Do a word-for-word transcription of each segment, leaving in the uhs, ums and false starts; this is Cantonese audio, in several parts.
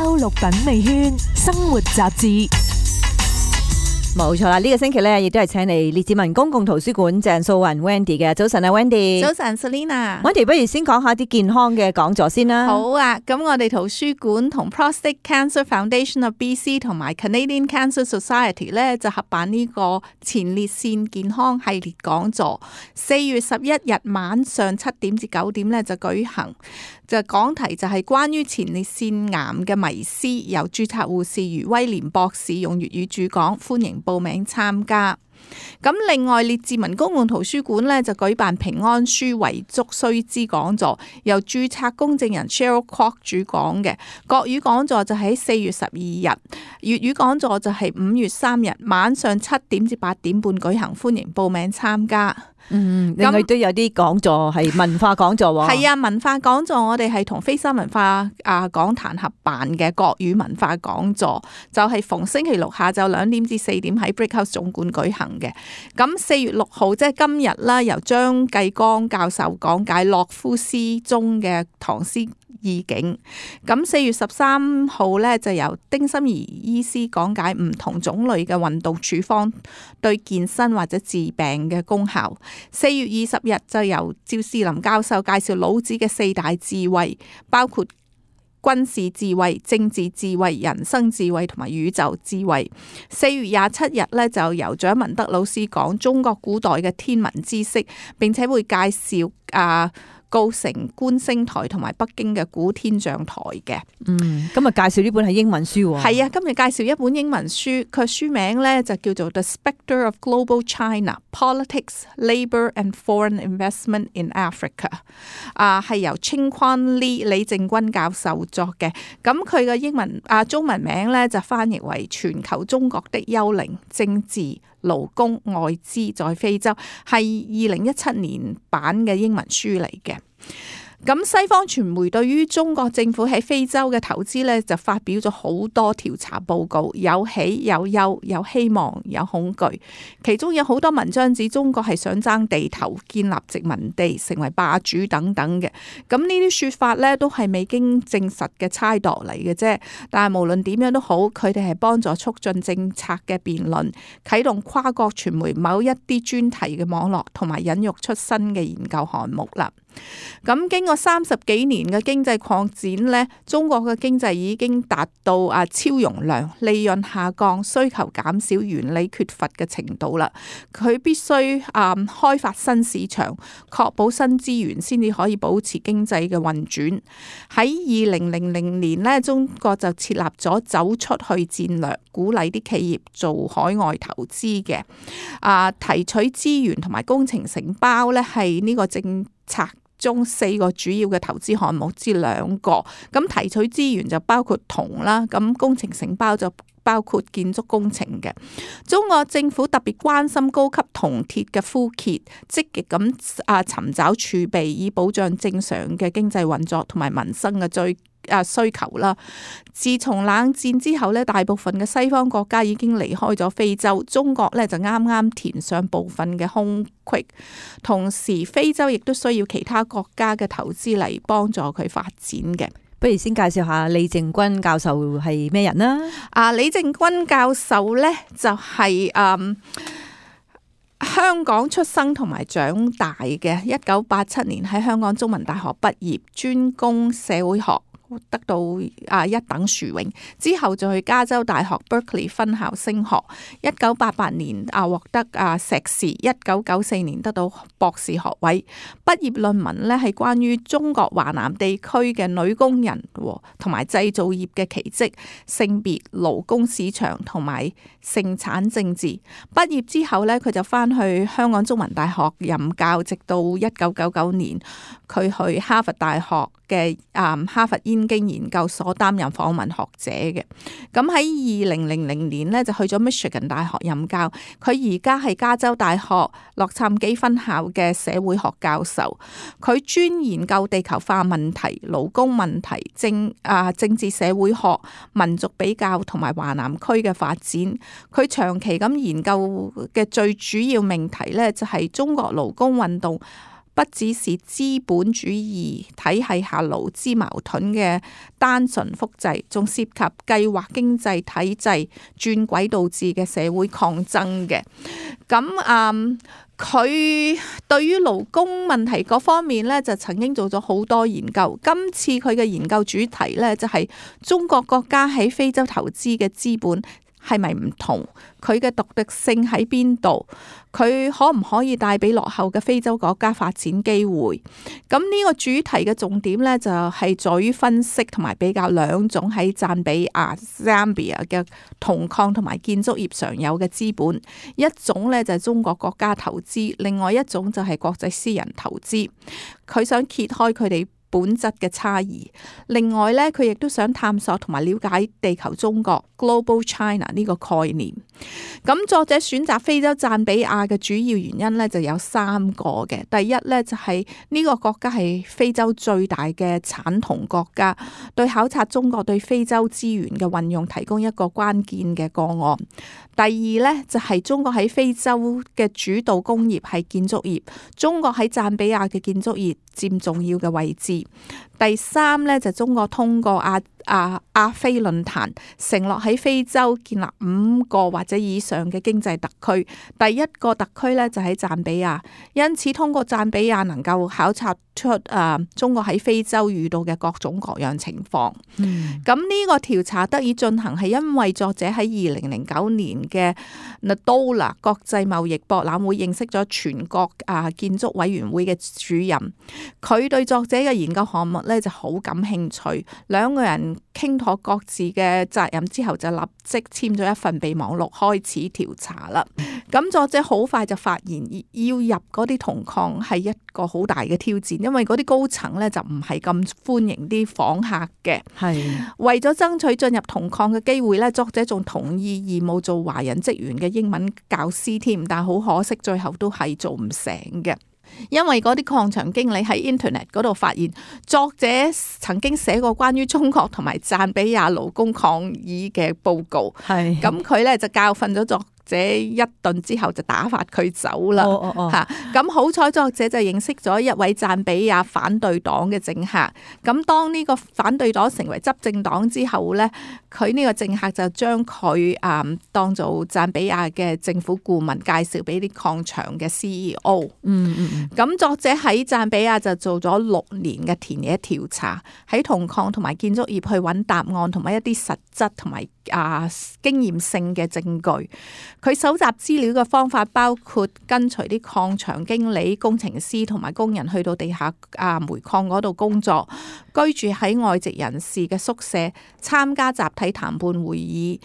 周六品味圈生活雜誌。冇錯啦，呢、這個星期咧亦都係請嚟列治文公共圖書館鄭素雲 Wendy 嘅。早晨啊 Wendy。早晨 Selina。Wendy 不如先講下啲健康嘅講座先啦。好啊，咁我哋圖書館同 Prostate Cancer Foundation of B C 同埋 Canadian Cancer Society 咧就合辦呢個前列腺健康系列講座，四月十一日晚上七點至九點咧就舉行。就講題就係關於前列腺癌嘅迷思，由註冊護士余威廉博士用粵語主講，歡迎報名參加。咁另外列治文公共圖書館呢就舉辦平安書遺囑須知講座，由註冊公證人 Cheryl Kwok 主講嘅。國語講座就喺四月十二日，粵語講座就係五月三日晚上七點至八點半舉行，歡迎報名參加。嗯，另外都有啲講座係文化講座喎。係啊，文化講座我哋係同飛山文化啊講壇合辦嘅國語文化講座，就係、是、逢星期六下晝兩點至四點喺 Brickhouse 總館舉行嘅。咁四月六號即係今日啦，由張繼光教授講解洛夫詩中嘅唐詩意境。咁四月十三號呢，就由丁心怡醫師講解唔同種類嘅運動處方對健身或者治病嘅功效。四月二十日就由趙士林教授介紹老子嘅四大智慧，包括軍事智慧、政治智慧、人生智慧同埋宇宙智慧。四月廿七日呢，就由蔣文德老師講中國古代嘅天文知識，並且會介紹啊高城觀星台同埋北京嘅古天象台嘅。嗯，今日介紹呢本係英文書喎。係啊，今日介紹一本英文書，佢書名咧就叫做《The Spectre of Global China: Politics, Labour and Foreign Investment in Africa》。啊，係由清坤李李正軍教授作嘅。咁佢嘅英文啊中文名咧就翻譯為《全球中國的幽靈：政治、勞工、外資在非洲》，係二零一七年版嘅英文書嚟嘅。咁西方傳媒對於中國政府喺非洲嘅投資呢，就發表咗好多調查報告，有喜有憂，有希望有恐懼。其中有好多文章指中國係想爭地頭、建立殖民地、成為霸主等等嘅。咁呢啲說法呢，都係未經證實嘅猜度嚟嘅啫。但係無論點樣都好，佢哋係幫助促進政策嘅辯論，啟動跨國傳媒某一啲專題嘅網絡，同埋引育出新嘅研究項目啦。咁經過三十幾年嘅經濟擴展呢，中國嘅經濟已經達到啊超容量、利潤下降、需求減少、原理缺乏嘅程度啦。佢必須啊開發新市場，確保新資源，先至可以保持經濟嘅運轉。喺二零零零年呢，中國就設立咗走出去戰略，鼓勵啲企業做海外投資嘅。啊，提取資源同埋工程承包呢，係呢個政策中四個主要嘅投資項目之兩個。咁提取資源就包括銅啦，咁工程承包就包括建築工程嘅。中國政府特別關心高級銅鐵嘅枯竭，積極咁啊尋找儲備，以保障正常嘅經濟運作同埋民生嘅追啊需求啦。自從冷戰之後咧，大部分嘅西方國家已經離開咗非洲，中國咧就啱啱填上部分嘅空隙。同時，非洲亦都需要其他國家嘅投資嚟幫助佢發展嘅。不如先介紹下李正軍教授係咩人啦？啊，李正軍教授咧就係、是、嗯香港出生同埋長大嘅，一九八七年喺香港中文大學畢業，專攻社會學，得到啊一等殊榮，之後就去加州大學 Berkeley 分校升學，一九八八年啊獲得啊碩士，一九九四年得到博士學位。畢業論文呢係關於中國華南地區嘅女工人同埋製造業嘅奇蹟、性別、勞工市場同埋盛產政治。畢業之後呢，佢就翻去香港中文大學任教，直到一九九九年佢去哈佛大學嘅啊哈佛燕京研究所擔任訪問學者嘅。咁喺二零零零年呢，就去咗 Michigan 大學任教，佢而家係加州大學洛杉磯分校嘅社會學教授，佢專研究地球化問題、勞工問題、政啊政治社會學、民族比較同埋華南區嘅發展。佢長期咁研究嘅最主要命題呢，就係中國勞工運動不只是資本主義體系下勞資矛盾嘅單純複製，仲涉及計劃經濟體制轉軌導致嘅社會抗爭嘅。咁嗯，佢對於勞工問題嗰方面咧，就曾經做咗好多研究。今次佢嘅研究主題咧，就係中國國家喺非洲投資嘅資本係咪唔同？佢嘅獨特性喺邊度？佢可唔可以帶俾落後嘅非洲國家發展機會？咁呢個主題嘅重點呢，就係在於分析同埋比較兩種喺贊比亞 Zambia 嘅銅礦同埋建築業常有嘅資本，一種呢，就係中國國家投資，另外一種就係國際私人投資。佢想揭開佢哋本質嘅差異，另外咧，佢亦都想探索同埋了解地球中國 Global China 呢個概念。咁作者選擇非洲贊比亞嘅主要原因咧，就有三個嘅。第一咧，就係呢個國家係非洲最大嘅產銅國家，對考察中國對非洲資源嘅運用提供一個關鍵嘅個案。第二咧，就係中國喺非洲嘅主導工業係建築業，中國喺贊比亞嘅建築業佔重要嘅位置。第三咧，就中國通過亞亞亞非論壇承諾喺非洲建立五個或者以上嘅經濟特區，第一個特區咧就喺贊比亞，因此通過贊比亞能夠考察出誒、呃、中國喺非洲遇到嘅各種各樣情況。咁呢、嗯、個調查得以進行係因為作者喺二零零九年嘅 Ndola 國際貿易博覽會認識咗全國啊建築委員會嘅主任，佢對作者嘅研究項目咧就好感興趣，兩個人傾妥各自嘅責任之後，就立即簽咗一份備忘錄開始調查啦。咁作者好快就發現要入嗰啲銅礦係一個好大嘅挑戰，因為嗰啲高層咧就唔係咁歡迎啲訪客嘅。係為咗爭取進入銅礦嘅機會咧，作者仲同意義務做華人職員嘅英文教師添，但係好可惜，最後都係做唔成嘅。因為嗰啲礦場經理喺 Internet 嗰度發現，作者曾經寫過關於中國同埋贊比亞勞工抗議嘅報告，係咁佢咧就教訓咗作者一頓之後就打發佢走啦。哦哦吓，咁好彩作者就認識咗一位贊比亞反對黨嘅政客。咁當呢個反對黨成為執政黨之後咧，佢呢個政客就將佢誒當做贊比亞嘅政府顧問，介紹俾啲礦場嘅 C E O。嗯嗯。咁作者喺贊比亞就做咗六年嘅田野調查，喺銅礦同埋建築業去揾答案，同埋一啲實質同埋啊經驗性嘅證據。佢搜集資料嘅方法包括跟隨啲礦場經理、工程師同埋工人去到地下啊煤礦嗰度工作，居住喺外籍人士嘅宿舍，參加集體談判會議，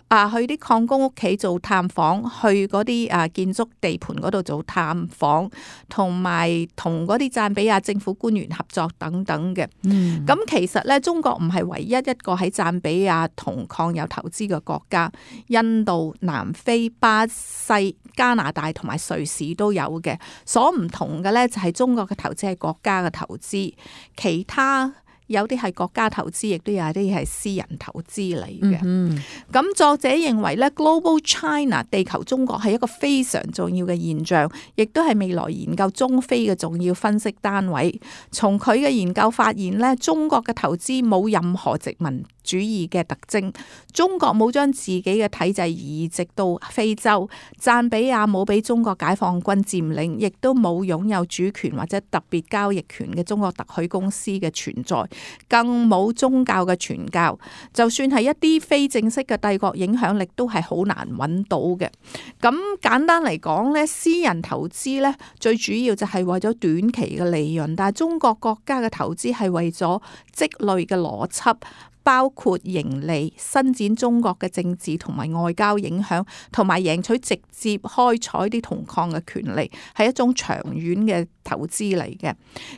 啊去啲礦工屋企做探訪，去嗰啲啊建築地盤嗰度做探訪，同埋同嗰啲贊比亞政府官員合作等等嘅。咁、嗯、其實咧，中國唔係唯一一個喺贊比亞銅礦有投資嘅國家，印度、南非、巴西、加拿大同埋瑞士都有嘅。所唔同嘅咧就係中國嘅投資係國家嘅投資，其他有啲係國家投資，亦都有啲係私人投資嚟嘅。咁、嗯、作者認為咧 Global China 地球中國係一個非常重要嘅現象，亦都係未來研究中非嘅重要分析單位。從佢嘅研究發現咧，中國嘅投資冇任何殖民主義嘅特徵，中國冇將自己嘅體制移植到非洲，贊比亞冇俾中國解放軍佔領，亦都冇擁有主權或者特別交易權嘅中國特許公司嘅存在，更冇宗教嘅傳教。就算係一啲非正式嘅帝國影響力，都係好難揾到嘅。咁簡單嚟講咧，私人投資咧最主要就係為咗短期嘅利潤，但係中國國家嘅投資係為咗積累嘅邏輯，包括盈利、伸展中國嘅政治同埋外交影響，同埋贏取直接開採啲銅礦嘅權利，係一種長遠嘅投資嚟嘅。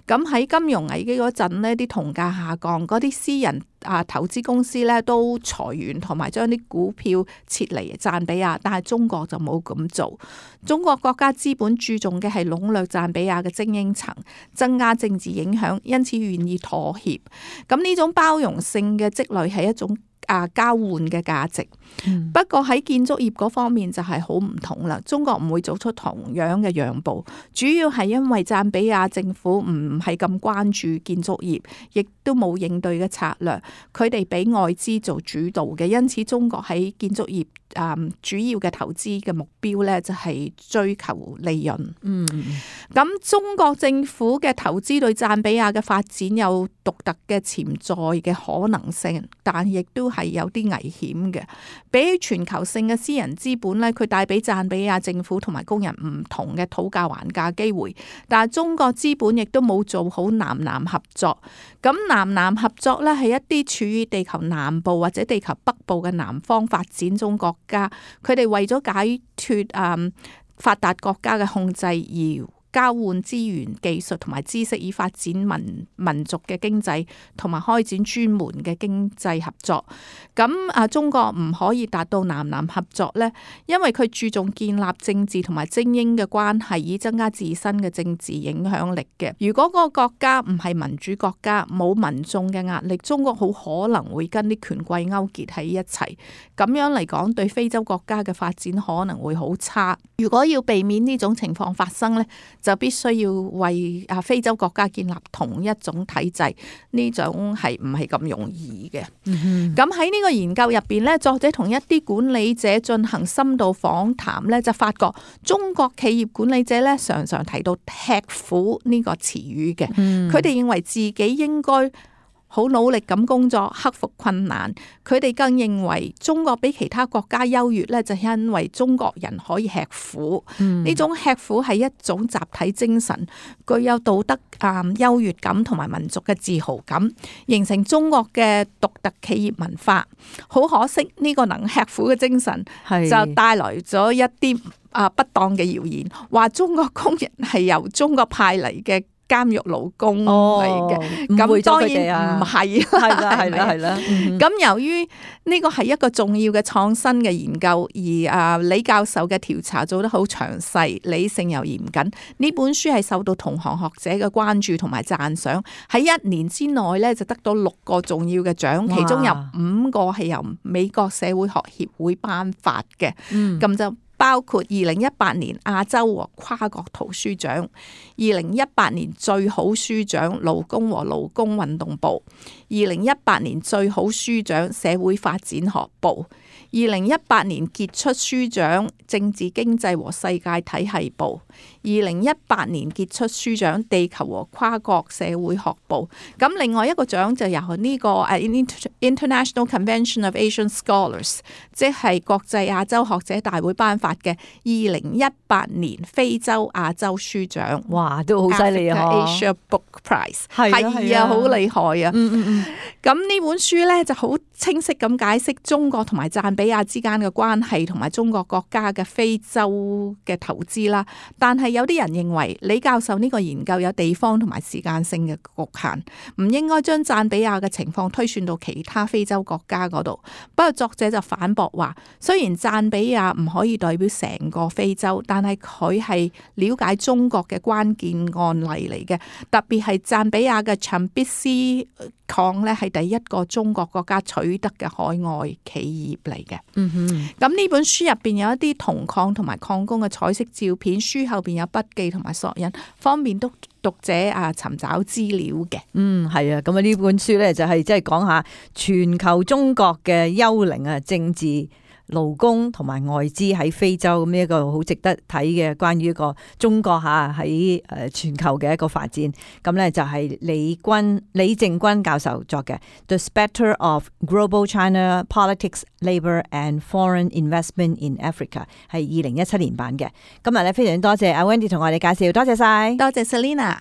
咁喺金融危機嗰陣呢，啲銅價下降，嗰啲私人啊投資公司咧都裁員，同埋將啲股票撤離贊比亞，但係中國就冇咁做。中國國家資本注重嘅係籠絡贊比亞嘅精英層，增加政治影響，因此願意妥協。咁呢種包容性嘅積累係一種啊交換嘅價值。嗯、不過喺建築業嗰方面就係好唔同啦，中國唔會做出同樣嘅讓步，主要係因為贊比亞政府唔係咁關注建築業，亦都冇應對嘅策略，佢哋俾外資做主導嘅，因此中國喺建築業誒主要嘅投資嘅目標咧就係追求利潤。嗯，咁中國政府嘅投資對贊比亞嘅發展有獨特嘅潛在嘅可能性，但亦都係有啲危險嘅。比起全球性嘅私人資本咧，佢帶俾贊比亞政府同埋工人唔同嘅討價還價機會，但係中國資本亦都冇做好南南合作。咁南南合作咧係一啲處於地球南部或者地球北部嘅南方發展中國家，佢哋為咗解脫誒發達國家嘅控制而交換資源、技術同埋知識，以發展民民族嘅經濟，同埋開展專門嘅經濟合作。咁啊，中國唔可以達到南南合作呢，因為佢注重建立政治同埋精英嘅關係，以增加自身嘅政治影響力嘅。如果嗰個國家唔係民主國家，冇民眾嘅壓力，中國好可能會跟啲權貴勾結喺一齊。咁樣嚟講，對非洲國家嘅發展可能會好差。如果要避免呢種情況發生呢，就必須要為啊非洲國家建立同一種體制，呢種係唔係咁容易嘅。咁喺呢個研究入邊咧，作者同一啲管理者進行深度訪談咧，就發覺中國企業管理者咧常常提到吃苦呢個詞語嘅，佢哋認為自己應該好努力咁工作，克服困難。佢哋更認為中國比其他國家優越咧，就係因為中國人可以吃苦。呢、嗯、種吃苦係一種集體精神，具有道德啊優越感同埋民族嘅自豪感，形成中國嘅獨特企業文化。好可惜呢、這個能吃苦嘅精神就帶來咗一啲啊不當嘅謠言，話中國工人係由中國派嚟嘅監獄勞工嚟嘅，咁當然唔係，係啦係啦係啦。咁由於呢個係一個重要嘅創新嘅研究，而啊李教授嘅調查做得好詳細、理性又嚴謹。呢本書係受到同行學者嘅關注同埋讚賞，喺一年之內咧就得到六個重要嘅獎，其中有五個係由美國社會學協會頒發嘅。咁、嗯、就包括二零一八年亞洲和跨國圖書獎，二零一八年最好書獎勞工和勞工運動部，二零一八年最好書獎社會發展學部，二零一八年傑出書獎政治經濟和世界體系部，二零一八年傑出書獎地球和跨國社會學部。咁另外一個獎就由呢個誒 International Convention of Asian Scholars， 即係國際亞洲學者大會頒發嘅二零一八年非洲亞洲書獎。哇，都好犀利啊 ！Asia Book Prize 係啊，好厲害啊！嗯嗯嗯。咁呢本書咧就好清晰咁解釋中國同埋贊比亞之間嘅關係，同埋中國國家嘅非洲嘅投資啦。但係有啲人認為李教授呢個研究有地方同埋時間性嘅局限，唔應該將贊比亞嘅情況推算到其他非洲國家嗰度。不過作者就反駁話，雖然贊比亞唔可以代表成個非洲，但係佢係了解中國嘅關鍵案例嚟嘅，特別係贊比亞嘅長必斯礦咧係第一個中國國家取得嘅海外企業嚟嘅。嗯哼，咁呢本書入邊有一啲銅礦同埋礦工嘅彩色照片，書後邊有筆記同埋索引，方便讀讀者啊尋找資料嘅。嗯，係啊，咁啊呢本書咧就係即係講下全球中國嘅幽靈啊政治、勞工同埋外資喺非洲，咁一個好值得睇嘅關於一個中國吓喺誒全球嘅一個發展。咁咧就係李君李正君教授作嘅《The Spectre of Global China Politics, Labour and Foreign Investment in Africa》，係二零一七年版嘅。今日咧非常多謝阿 Wendy 同我哋介紹，多謝晒，多謝 Selina。